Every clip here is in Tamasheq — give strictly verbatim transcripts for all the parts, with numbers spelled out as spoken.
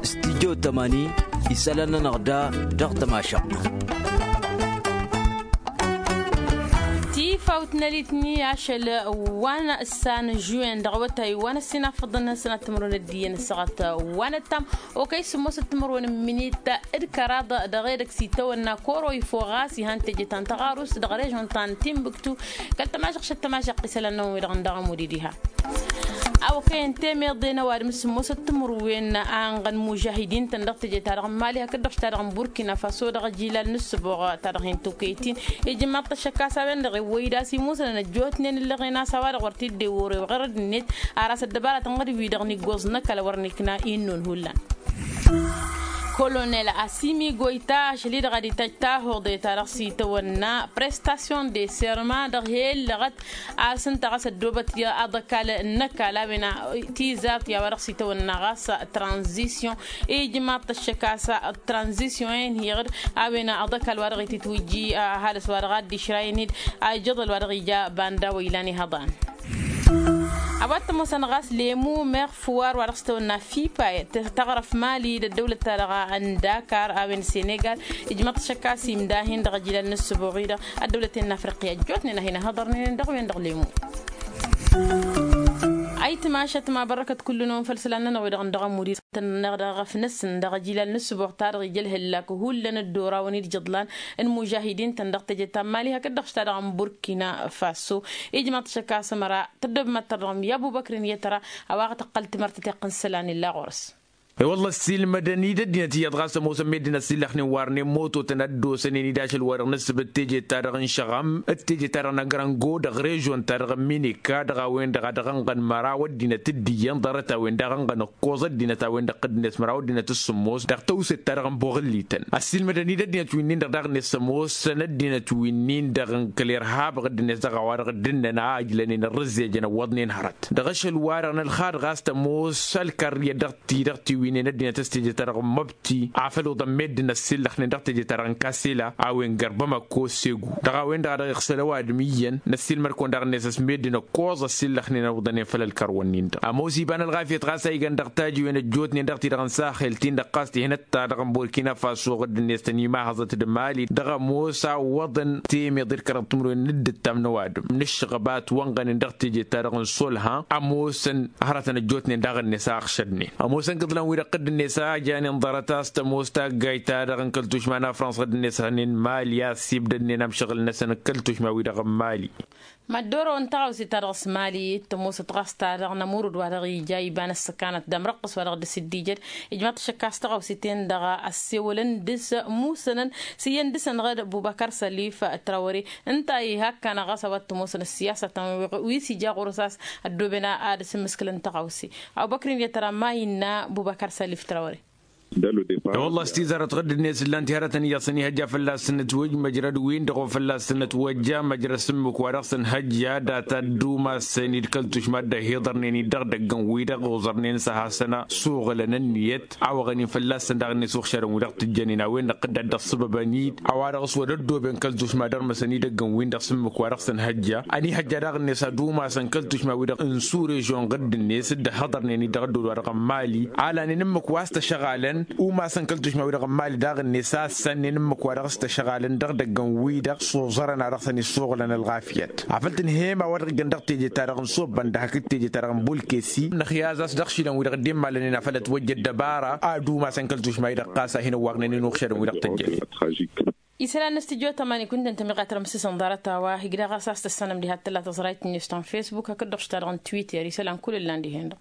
Studyo tămani isălan-nănăɣ da dăɣ-tămašăɣt. Tifawt n-elitni ašăl wa n-ăssan žuwen dăɣ-awătay wa n-ăssinafăḍăn sănat timǝrwen d-iyyăn ăssaɣăt wa n-ăttam okăy sǝmmosăt timǝrwen n-minit d-kăraḍ dăɣ-edăgg s-itawănna koro ifo ɣas ihan teje ta n-tăɣarust dăɣ-režon ta n-timbuktu. Kăl-tămažăɣt šăt tămažăɣt isălan-năwăn wi-dăɣ n-dăɣ ămud-i diha. Awăkăyăn temeḍe n-ăwadǝm s-sǝmmosăt timǝrwen a ănɣăn mužahidin-tăn dăɣ-teje-ta-dăɣ n-mali hakd-dăɣ š-ta-dăɣ n-burkina faso dăɣ-ajilal n-ǝssǝboɣ-ta-dăɣ hin-tokăyăt-in. Ijǝmmaḍ-t ăššăk a-s a-wen-dăɣ iwwăy-dd a-s imusănăn ăjjootnen ǝllăɣen a-s a-wa-dăɣ wăr t-dd-ewăr ewăɣ ărădd-net. Ar a-s ăddăbaratăn ɣǝd-wi-dăɣ n-iggoẓ n-ăkall wăr nikna innun hullan. Kolonel asimi goyta ašăl-i-dăɣ ad-itajj tahoḍe-ta-dăɣ s-itawănna prestation de serma dăɣ-he-ǝllăɣăt. A-s ǝnta ɣas ăddoobăt i-aḍăkal n-ăkall a-wen tizart i-a-wa dăɣ-s itawănna ɣas tranzisyon. Ijmaḍ-t ăššăk a-s tranzisyon-en hiɣǝd a-wen aḍăkal wa dăɣ-ititwǝjji ăhalǝs wa dăɣ-ad-dd-išrayăn-dd. Ajăḍăl wa dăɣ-ija banda wa ilan ihăḍan. A-wa t-ămoosăn ɣas lemu meɣ fuwar wa dăɣ-s tăwănna fipa taɣrăf mali d-ăddăwlăt-ta-dăɣ n-dakar a-wen senegal. Ijmăḍ-t šăkka s-imdahin dăɣ-ajilal n-ǝssǝboɣ-i-dăɣ ăddăwlăten n-afriqya ăjjootnen a hin-ăhăḍărnen dăɣ-wen-dăɣ lemu. Ayǝtmašăt ma bărrăkăt kull-năwăn făll-isălan-nănăɣ wi-dăɣ n-dăɣ ămud-i tănnăɣ dăɣ-efnăsăn dăɣ-ajilal n-ǝssǝboɣ-ta-dăɣ ija ălhăllak hullan ăddorawăn-dd jăḍlan n-imužahidin-tăn dăɣ-teje ta n-mali hakd-dăɣ š-ta-dăɣ n-burkina faso. Ijmăḍ-t šăkka s-ămăra tăddob mad-tărdăɣăm i-abubăkri n-iyyăt ăra a-wa ɣ-tăqqăl timărtăt iqqǝn isălan illa ɣur-s. E-wălla ăssiilmădăn-dd ăddinăt iyyăḍ ɣas ămoosăn meddǝn ăssiillăxnen warnen mototăn a dd-osănen-dd ašăl-wa-dăɣ n-ǝssǝbǝt teje-ta-dăɣ n-šăɣam d-teje-ta-dăɣ n-agrango dăɣ-režon-ta-dăɣ n-minika dăɣ-a-wen-dăɣ a dăɣ-ănɣăn măraw ăddinăt d-iyyăn ḍarăt-a-wen daɣ ănɣăn ǝkkoẓ ăddinăt a-wen-dăɣ tǝddǝnet măraw ăddinăt s-sǝmmos dăɣ-tawset-ta-dăɣ n-boɣǝllităn ăssiilmădăn-dd ăddinăt wi-nin-dăɣ daɣ-net s-ămoosăn ăddinăt wi-nin-dăɣ n-kăl-irhab ɣǝddǝnet dăɣ-a-wa-dăɣ dd-ǝnnăn a ǝjlănen ărrǝzzejăn ăwwăḍnen hărăt dăɣ-ašăl-wa-dăɣ n-ălxad ɣas tămoos ălkărr iyyăt dăɣ-ti-dăɣ tiwǝynen ăddinăt s-teje-ta-dăɣ n-măbti afăl oḍăn meddǝn ăssillăxnen dăɣ-teje-ta-dăɣ n-kasela a-wen gărbămăkko segu dăɣ-a-wen-dăɣ a dăɣ-iɣsăl ăwadǝm iyyăn năssiilmăd-kăwăn daɣ-net ăsmeddǝn ǝkkoẓ ăssillăxnen a uḍănen făll-ălkărwăn-nin-dăɣ ămoos iba n-ălɣafyăt ɣas a igan dăɣ-tajiwen ăjjootnen dăɣ-ti-dăɣ n-saxel-tin-dăɣ ɣas tihnăt-ta-dăɣ n-burkina faso ɣǝddǝn-net tăn-imahăẓăt d-mali dăɣ-ămoos a ǝwwăḍăn temeḍe d-kăraḍ timǝrwen n-dd-ǝttam n-ăwadǝm n-ǝššăɣăbat wa ănɣănen dăɣ-teje-ta-dăɣ n-solha ămoosăn hărătăn ăjjootnen daɣ-net a ăɣšădnen ămoosăn kǝḍlan-wi-dăɣ ɣǝddǝn-net a janen ḍarăt a-s tămoos taggayt-ta-dăɣ n-kăl-tušma n-afrăns ɣǝddǝn-net hănen mali a ăssibdădnen amšăɣǝl-năsăn n-kăl-tušma-wi-dăɣ n-mali. Mad-dd-orăwăn tăɣawse-ta-dăɣ s-mali t-ămoosăt ɣas-ta-dăɣ n-ămurǝd wa dăɣ-ija iba n-ăssăkanăt d-amrăqqǝs wa dăɣ-dd-s dd-ijăd. Ijmaḍ-t šăkk a-s tăɣawse-ten-dăɣ ăssewălăn dăɣ-s musănăn s-iyyăn dăɣ-săn ɣǝd bubăkăr sălif trawăre. Ǝnta a ihakkanăɣ ɣas a-wa t-ămoosăn ăssiyasătăn wi s-ija ɣur-s a-s ăddooben ad-dăɣ-s ǝmmǝskǝlăn tăɣawse. Abubăkr-in i-tăra ma innă bubăkăr sălif trawăre. Wălla-s tizarăt ɣǝddǝn-net ǝllan-t i-hărătăn iyyăḍ s-ănihăjja fălla-s sănătwăj măjrăd-win-dăɣ wa fălla-s sănătwăjja măjrăd s-ǝmmǝk wa dăɣ-săn hăjja data d-umasăn-dd kăl-tušma dd-ăhiḍărnen-dd dăɣ-idăgg n-wi-dăɣ oẓărnen s-ad-hasăn-ăsuɣǝlăn ǝnniyăt a wăɣănen fălla-săn daɣ-net uɣšadăn wi dăɣ-tǝjjănen a-wen-dăɣ tǝdda dd-ăṣṣăbăbăn-dd a-wa dăɣ-s wăr ăddooben kăl-tušma dăr-măsăn idăgg n-win-dăɣ s-ǝmmǝk wa dăɣ-săn hăjja. Ănihăjja daɣ-net ad-umasăn kăl-tušma-wi-dăɣ n-surežon ɣǝddǝn-net dd-ăhhăḍărnen-dd dăɣ-ăddol wa dăɣ-n mali a lanen ǝmmǝk wa s-tăšăɣalăn umasăn kăl-tušma-wi-dăɣ n-mali daɣ-net a ăssănnen ǝmmǝk wa dăɣ-s-tăšăɣalăn dăɣ-idăgg n-wi-dăɣ s-oẓărăn a dăɣ-săn issoɣlăn ălɣafyăt. Afăl tǝnhăyăm a-wa dăɣ-iggăn dăɣ-teje-ta-dăɣ n-sobbăndăh hakd teje-ta-dăɣ n-bulkesi năxyaz a-s dăɣ-išilan-wi-dăɣ dd-immalănen afăl ătwăjja ăddăbara ad-umasăn kăl-tušma-wi-dăɣ ɣas a hin-ăwwagnen inuɣšadăn-wi-dăɣ tăjjănen. Isălan n-studyo tămani kunta n-tămiɣat rămsǝsăn ḍarăt-a-wa igdăɣ ɣas a-s tăssanăm diha t-tǝlla tăẓrayt-net ta n-facebook hakd dăɣ-š ta dăɣ-n twitter isălan kull ǝllan dihen-dăɣ.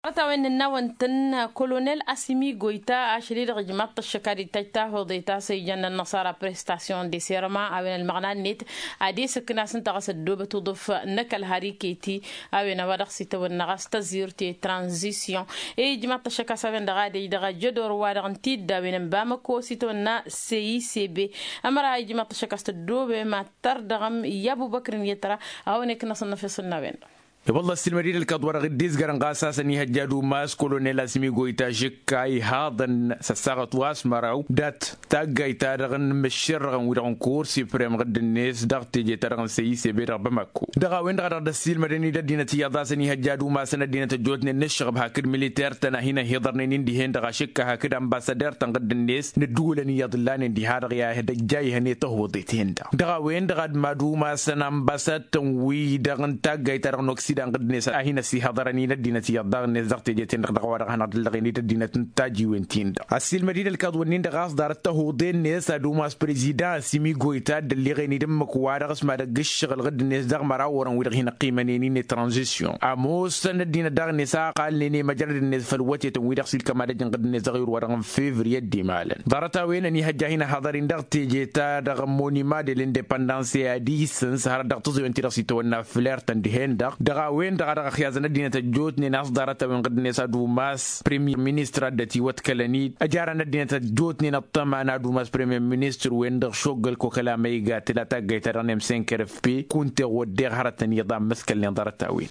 Ḍarăt-a-wen n-ănnawăn-tăn kolonel asimi goyta ašăl-i-dăɣ ijmaḍ-t ăššăk ad-ittaj tahoḍe ta s-ijăn n-ănnăṣara prestasyon de serma a-wen ălmăɣna-net ad-esǝkna s-ǝnta ɣas ăddoobăt uḍǝf n-ăkall har iket-i. A-wen a-wa dăɣ-s itawănna ɣas tăẓirt i-tranzisyon ijmaḍ-t ăššăk a-s a-wen-dăɣ ad-ej dăɣ-ajădor-wa-dăɣ n-tiddawen n-bamăko s-itawănna seyisebe. Ămăra ijmaḍ-t ăššăk a-s tăddoobem ad-tărdăɣăm i-abubăkr n-iyyăt ra a hawăn-iknăṣăn n-efeṣ n-a-wen-dăɣ. I-wălla ăssiilmăd-dd ălkaḍ-wa-dăɣ dd-izgărăn ɣas a-s ănihăjja ad-umas kolonel asmi goyta žǝkka ihaḍăn s-ăssaɣăt wa s-măraw dat-taggayt-ta-dăɣ n-imǝššerrăɣăn-wi-dăɣ n-kur siprem ɣǝdd-net dăɣ-teje-ta-dăɣ n-săyisebe dăɣ-bamako. Dăɣ-a-wen-dăɣ a dăɣ-dd-ăssiilmădăn-dd ăddinăt iyyăḍ a-s ănihăjja ad-umasăn ăddinăt ăjjootnen n-ǝššăɣăb hakd militer-tăn a hin-ăhiḍărnen-in dihen-dăɣ ašǝkka hakd anbassader-tăn ɣǝdd-net n-ǝddǝwǝlăn iyyăḍ ǝllanen diha-dăɣ i-ad-ăjjayhăn i-tăhwăḍet-hen-dăɣ. Dăɣ-a-wen-dăɣ ad-mad-umasăn anbasad-tăn-wi-dăɣ n-taggayt-ta dăɣ-n oksidan ɣǝdd-net a hin-ăsihăḍărăn-in ăddinăt iyyăḍ daɣ-net dăɣ-teje-ten-dăɣ dăɣ-a-wa dăɣ-hanăɣ-dd-ǝllăɣen-dd ăddinăt n-tajiwen-tin-dăɣ. Ăssiilmăd-dd ălkaḍ-wǝnnin-dăɣ a-s ḍarăt tăhuḍe-net ad-umas prezidan simi goyta dd-ălliɣen-dd ǝmmǝk-wa-dăɣ s-mad-ăgg ǝššăɣǝl ɣǝdd-net dăɣ-măraw orăn-wi-dăɣ hin-ăqqimănen-in i-tranzisyon ămoosăn ăddinăt daɣ-net a ăqalnen i-măjrăd-net făll-wătetăn-wi-dăɣ s-ilkăm ad-ăjǝn ɣǝdd-net dăɣ-iwǝr-wa-dăɣ n-fevriye d-imalăn. Ḍarăt-a-wen ănihăjja a hin-ăhaḍăr-in dăɣ-teje-ta-dăɣ n-monima de l-indepăndans i-ad-isǝns hărăt dăɣ-tǝẓẓoyăn-ti-dăɣ s-itawănna fler-tăn dihen-dăɣ. Dăɣ-a-wen-dăɣ a dăɣ-ăxyazăn ăddinăt ăjjootnen a-s ḍarăt-a-wen ɣǝdd-net ad-umas premier ministăr a dd-ătiwăḍkălăn-dd ăjarăn ăddinăt ăjjootnen ăṭṭăma n-ad-umas premier ministăr-wen-dăɣ šoggăl kokăla ma igatǝl a taggayt-ta-dăɣ n-emsenker f p kunte wădden hărătăn iyyăḍ a ǝmmǝskălnen ḍarăt-a-wen.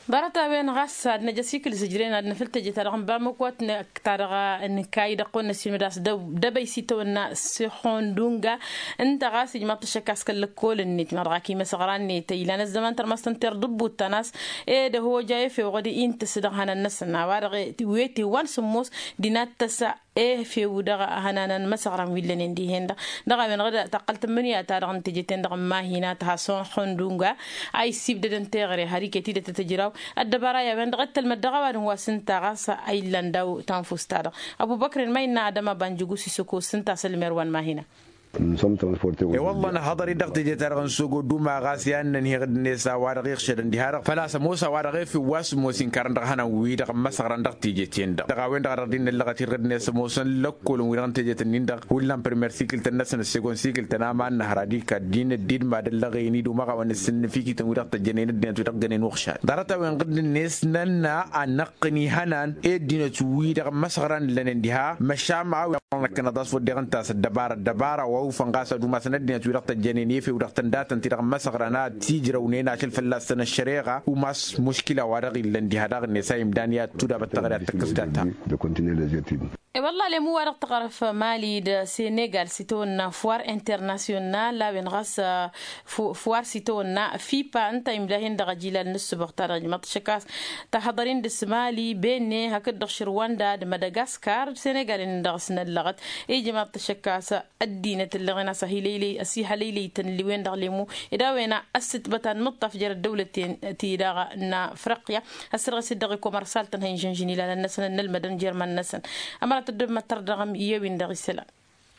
Ḍarăt-a-wen ɣas ad-năj ăsikǝl zǝjren ad-năfǝl teje-ta-dăɣ n-bamăko ătnăk ta-dăɣ n-kayy dăɣ-kăwăn-năssiilmăd a-s dăbăy s-itawănna sixondunga. Ǝnta ɣas ijmaḍ-t ăššăk a-s kăl-lăkkol-net ma dăɣ-ak imăsăɣra-net ilan ăzzăman tărmast n-terdubbut-ta n-a-s ed ăhoja efew ɣăd intǝs dăɣ-ihănan-năsăn a-wa-dăɣ wete wa n-sǝmmos d-inattăsa efew dăɣ-ihănan n-imăsăɣran wi ǝllănen dihen-dăɣ. Dăɣ-a-wen-dăɣ d-taqqăl tǝmmǝnǝya-ta-dăɣ n-teje-ten-dăɣ n-mahina tăha s-hondunga a issibdădăn teɣăre har iket-dd tăt-ǝjraw ăddăbara i-a-wen-dăɣ ăttălmăd dăɣ-ăwadǝm wa s-ǝnta ɣas a illan daw tanfust-ta-dăɣ. Ăbubăkren ma innă adăma banjǝgu s-isǝkos s-ǝnta a-s ălmer wa n-mahina. E-wălla năhăḍăr-dd dăɣ-teje-ta-dăɣ n-sogo duma ɣas i-ad-nănheɣ d-net a-wa-dăɣ iɣšădăn diha-dăɣ făl-a-s ămoos a-wa-dăɣ efew wa s-ămoos inkărăn dăɣ-ihănan-wi-dăɣ ămmăsăɣran dăɣ-teje-ten-dăɣ. Dăɣ-a-wen-dăɣ a dăɣ-dd-innăllăɣăt-in ɣǝdnet ămoosăn lăkkolăn wi-dăɣ n-teje-tăn-in-dăɣ hullan primer sikil-tăn-năsăn ăssegon sikil-tăn aman năhăr ad-ikad-in dd-mad-ăllăɣen-dd umăɣawăn ǝssǝnnǝf ikităn-wi-dăɣ tăjjănen ăddinăt-wi-dăɣ jănen uɣšad ḍarăt-a-wen ɣǝdd-net nănna ad-năqqǝn ihănan i-ăddinăt wi-dăɣ ămmăsăɣran ǝllănen diha măšan a-wen-dăɣ năkkăneḍ a-s wădden ǝnta a-s ăddăbara ăddăbara wa ufăn ɣas ad-umasăn ăddinăt wi-dăɣ tăjjănen efew dăɣ-tăndatăn-ti-dăɣ ămmăsăɣran ad-t-ijrăwnen ašăl fălla-săn ăššăreɣa umas muškila wa dăɣ-illăn diha daɣ-net a imdan i-ad-tudabăt taɣre ad-tăkkăs data. E-wălla alem wa-dăɣ tăɣrăf mali d-senegal s-itawănna foir internasyonal a-wen ɣas foir s-itawănna fipa ǝnta imdahen dăɣ-ajilal n-ǝssǝbăɣ-ta-dăɣ ijmăḍ-t šăkkas. Tăhăḍăr-in dăɣ-s mali benne hakd-dăɣ šărwanda d-madagaskar d-senegal-in dăɣ-s năllăɣăt. Ijmăḍ-t šăkkas ăddinăt ǝllăɣen a-s ăhilăylăy ăsihălăylăy-tăn ǝlliwen dăɣ-lemu ed a-wen a ăssǝtbăt ad-nǝṭṭaf jer-ăddăwlăt-en ti-dăɣ n-afriqya. Ăssărɣes-dd dăɣ-ikomărsal-tăn ha inžănžăn ilalăn-năsăn ănnălmădăn jer-iman-năsăn. Ămărat dd-măttăr dăɣ-em i-ewin dăɣ-isălan.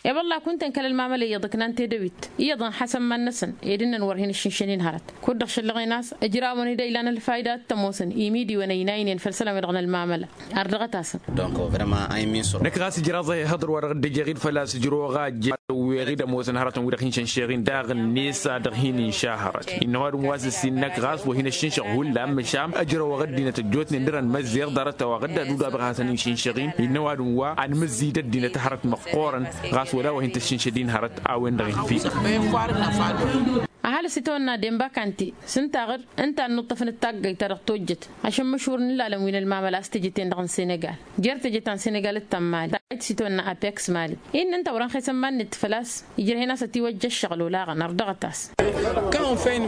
E-wălla kunta n-kăl-ălmamăla iyyăḍ ǝknan tedăwit iyyăḍ ănxasăn iman-năsăn ed ǝnnăn wăr hin-ǝššǝnšăn-in hărăt. Kud-dăɣ šăllăɣen a-s ǝjrawăn-dd a ilan ălfayda ad-t-ămoosăn imidiwăn ăynaynen făll-isălan-wi-dăɣ n-ălmamăla. Ardăɣăt-asăn. Năkk ɣas ǝjraẓ ehăḍăr wa dăɣ-dd-ăjjeɣ-dd făl-a-s ǝjrăwăɣ a ăjjăwweɣ-dd ămoosăn hărătăn wi-dăɣ hin-šănšeɣ-in daɣ-net a dăɣ-hin-inša hărăt. Innă ăwadǝm wa s-ǝssin năkk ɣas wa hin-ăššǝnšăɣ hullan măšan ǝjrăwăɣ ăddinăt ăjjootnen dăr-ănmăzzeɣ ḍarăt-a-wa ɣǝdda d-udabeɣ ad-hasăn-inšǝnšăɣ-in. Innă ăwadǝm wa anmǝzzǝy d-ăddinăt hărăt măqqoorăn ɣas wăla wa hin-tăššǝnšăd-in hărăt. A-wen-dăɣ infi. Ăhalǝs itawănna denba kante s-ǝnta aɣǝd ǝnta a ǝnnuṭṭăfăn d-taggayt ta dăɣ-tojjăt ašămmăšur n-ilalăn wi n-ălmamăla a-s teje-ten-dăɣ n-senegal. Jer-teje ta n-senegal d-ta n-mali ta ăj s-itawănna apeks mali. Innă ǝnta wăr-ănxesăn iman-net făl-a-s ijrăh-in a-s ătiwăjja ăššăɣǝl olaɣăn ărḍăɣăt-as.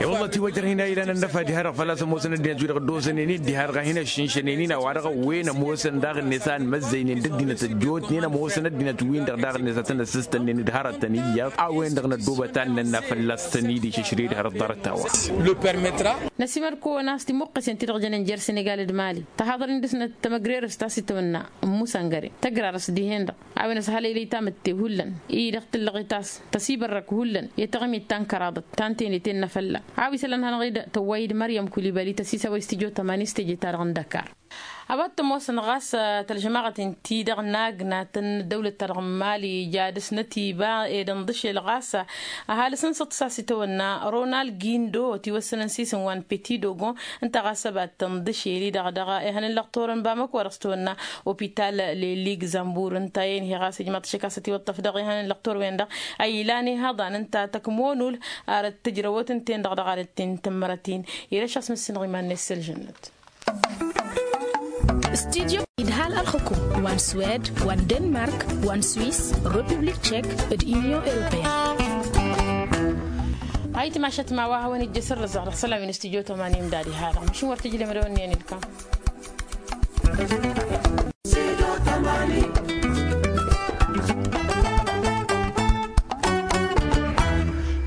E-wălla ătiwăjrăh-in a ilan ănnăfa diha-dăɣ făl-a-s ămoosăn ăddinăt-wi-dăɣ ăddoosănen-dd diha-dăɣ a hin-ăššǝnšănen-in a-wa-dăɣ ăwwen ămoosăn daɣ-net a ănmăzzăynen d-ăddinăt ăjjootnen ămoosăn ăddinăt-win-dăɣ daɣ-net a tăn-ăssǝstănnen d-hărătăn iyyăḍ. A-wen-dăɣ năddoobăt ad-nănna fălla-s tăn-dd-išǝšred hărăt ḍarăt-a-wa. Năsimăr-kăwăn a-s timuqqesen ti-dăɣ jănen jer-senegal d-mali tăhaḍăr-in dăɣ-snăt tămăgrerăst a-s itawănna ǝmmusăngăre tăgrarăst dihen-dăɣ. A-wen ăshălăylăy tamǝtte hullan i-dăɣ tǝllăɣet a-s tăsibărrăk hullan i-taɣmit ta n-kăraḍăt ta n-tenet ennă fălla. A-wa isălan hanăɣ-dd tăwway-dd măryăm kulibali tăsisăwăy s-tijotămani s-teje-ta-dăɣ n-dăkar. A-wa t-ămoosăn ɣas tălžămaɣăt-in-ti-dăɣ n-agnat n-ăddăwlăt-ta-dăɣ n-mali ija dăr-snăt iba ed ănḍǝšel ɣas ăhalǝs n-săḍsa s-itawănna ronald gindo ătiwăssănăn s-isǝm wa n-peti dogon. Ǝnta ɣas ăbat tănḍǝšel-i-dăɣ dăɣ-ehăn n-lăqtor n-bamăko wa dăɣ-s tawănna opital leligzămbur ǝnta i-inhi ɣas ijmaḍ tišăkasăt iwăṭṭăf dăɣ-ehăn n-lăqtor-wen-dăɣ a ilan ihăḍan ǝnta tăkmonul arăt tǝjrăwăt ǝnta-en-dăɣ dăɣ-arăt-in tǝmmărăt-in. Ira šasmǝssin ɣiman n-esălžănnăt. Studyo idhal ălxǝkum wa n-swed wa n-denmark wa n-swis, republik tšek, d-union europeyăn. Ayǝtmašăt ma wa hawăn-ijjăs ărrăzaɣ dăɣ-isălan wi n-studyo tămani imdad ihalăɣ măšin wăr tǝjlem d-awănni ănilkam.